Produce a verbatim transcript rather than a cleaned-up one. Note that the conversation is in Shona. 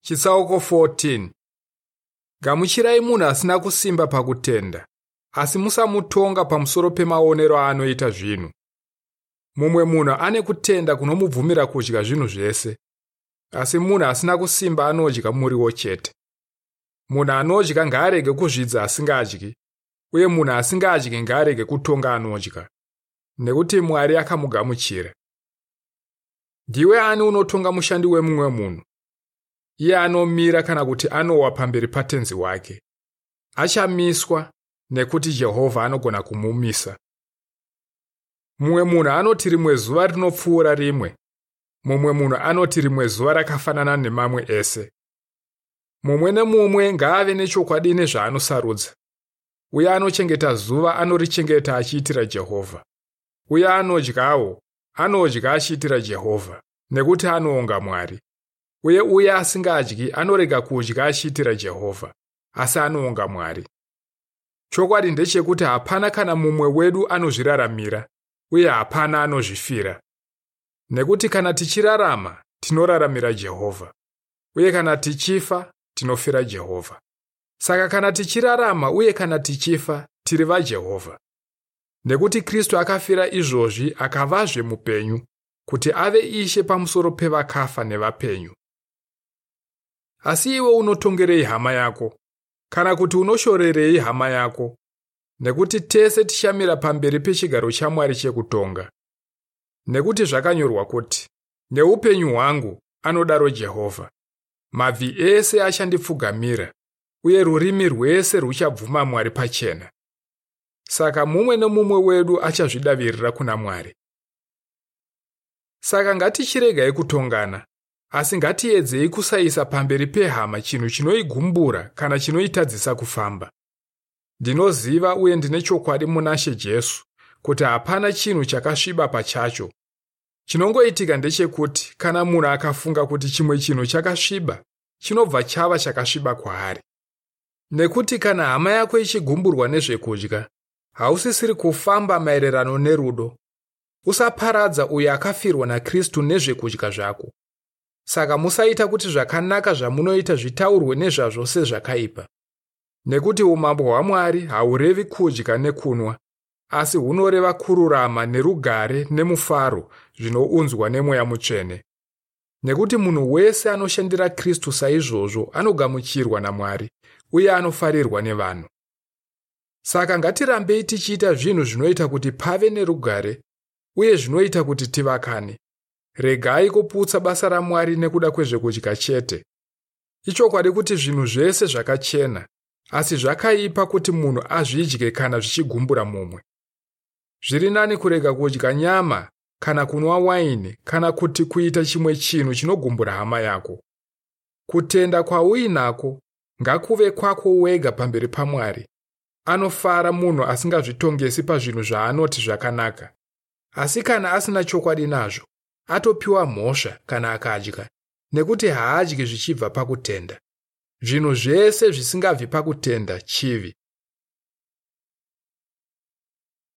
Chitsauko fourteen. Gamuchirai munhu asina kusimba pakutenda, asi musamutonga pamusoro pemaonero aanoita zvinhu. Mumwe munhu ane kutenda kunomubvumira kudya zvinhu zvese, asi munhu asina kusimba anodya muriwo chete. Munhu anodya ngaarege kuzvidza asingadyi, uye munhu asingadyi ngaarege kutonga anodya, nekuti Mwari akamugamuchira. Ndiwe ani unotonga mushandi wemumwe munhu? Iye anomira kana kuti anowa pamberi patenzi wake. Achamiswa nekuti Jehovha anogona kumumisa. Mumwe munhu anoti rimwe zuva rinopfuura rimwe. Mumwe munhu anoti rimwe zuva rakafanana nemamwe ese. Mumwe nemumwe ngaave nechokwadi nezvaanosarudza. Uye anochengeta zuva anorichengeta achiitira Jehovha. Uye anodyawo, anodya achiitira Jehovha, nekuti anoonga Mwari. Uye uye asingadyi anorega kudya achiitira Jehovha, asi anoonga Mwari. Chokwadi ndechekuti hapana kana mumwe wedu anozviraramira, uye hapana anozvifira. Nekuti kana tichirarama, tinoraramira Jehovha. Uye kana tichifa, tinofira Jehovha. Saka kana tichirarama uye kana tichifa, tiri vaJehovha. Nekuti Kristu akafira izvozvi akavazve mupenyu, kuti ave Ishe pamusoro pevakafa nevapenyu. Asi iwe unotongerei hama yako? Kana kuti unoshorerei hama yako? Nekuti tese tichamira pamberi pechigaro chaMwari chekutonga. Nekuti zvakanyorwa kuti, neupenyu hwangu, anodaro Jehovha, mabvi ese achandipfugamira, uye rurimi rwese ruchabvuma Mwari pachena. Saka mumwe nemumwe wedu achazvidavirira kuna Mwari. Saka ngatichiregai kutongana, asi ngatiedzei kusaisa pamberi pehama chinhu chinoigumbura kana chinoitadzisa kufamba. Ndinoziva uye ndine chokwadi munaShe Jesu kuti hapana chinhu chakasviba pachacho. Chinongoitika ndechekuti kana munhu akafunga kuti chimwe chinhu chakasviba, chinobva chava chakasviba kwaari. Nekuti kana hama yako ichigumburwa nezvekudya, hausisiri kufamba maererano nerudo. Usaparadza uyo akafirwa naKristu nezvekudya zvako. Saka musaita kuti zvakanaka zvamunoita zvitaurwe nezvazvo sezvakaipa. Nekuti umambo hwaMwari haurevi kudya nekunwa, asi hunoreva kururama nerugare nemufaro zvinounzwa nemweya mutsvene. Nekuti munhu wese anoshandira Kristu saizvozvo anogamuchirwa naMwari uye anofarirwa nevanhu. Saka ngatirambei tichiita zvinhu zvinoita kuti pave nerugare uye zvinoita kuti tivakane. Regai kuputsa basa raMwari nekuda kwezvekudya chete. Ichokwadi kuti zvinhu zvese zvakachena, asi zvakaipa kuti munhu azvidye kana zvichigumbura mumwe. Zviri nani kurega kudya nyama kana kunwa waini kana kuti kuita chimwe chinhu chinogumbura hama yako. Kutenda kwauinako ngakuve kwako wega pamberi paMwari. Anofara munhu asingazvitongesi pazvinhu zvaanoti zvakanaka. Asi kana asina chokwadi nazvo, atopiwa mhosva kana akadya, nekuti haadyi zvichibva pakutenda. Zvinhu zvese zvisingabvi pakutenda chivi.